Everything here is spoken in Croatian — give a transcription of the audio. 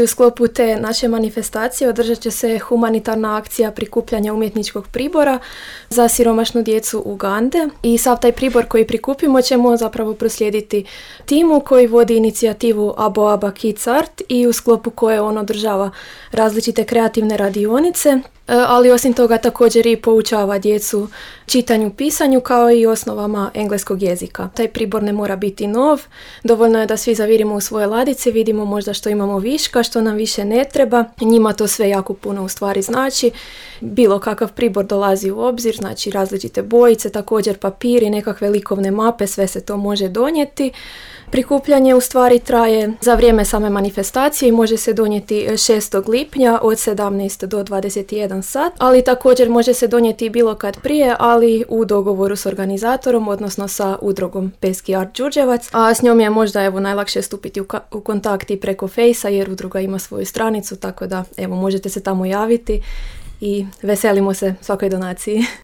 U sklopu te naše manifestacije održat će se humanitarna akcija prikupljanja umjetničkog pribora za siromašnu djecu Ugande i sav taj pribor koji prikupimo ćemo zapravo proslijediti timu koji vodi inicijativu Aboaba Kids Art i u sklopu koje on održava različite kreativne radionice, ali osim toga također i poučava djecu čitanju, pisanju kao i osnovama engleskog jezika. Taj pribor ne mora biti nov, dovoljno je da svi zavirimo u svoje ladice, vidimo možda što imamo viška, što nam više ne treba. Njima to sve jako puno u stvari znači. Bilo kakav pribor dolazi u obzir, znači različite bojice, također papiri, nekakve likovne mape, sve se to može donijeti. Prikupljanje u stvari traje za vrijeme same manifestacije i može se donijeti 6. lipnja od 17 do 21 sat, ali također može se donijeti bilo kad prije, ali u dogovoru s organizatorom, odnosno sa udrugom Peski Art Đurđevac, a s njom je možda najlakše stupiti u kontakt i preko Fejsa jer udruga ima svoju stranicu, tako da možete se tamo javiti i veselimo se svakoj donaciji.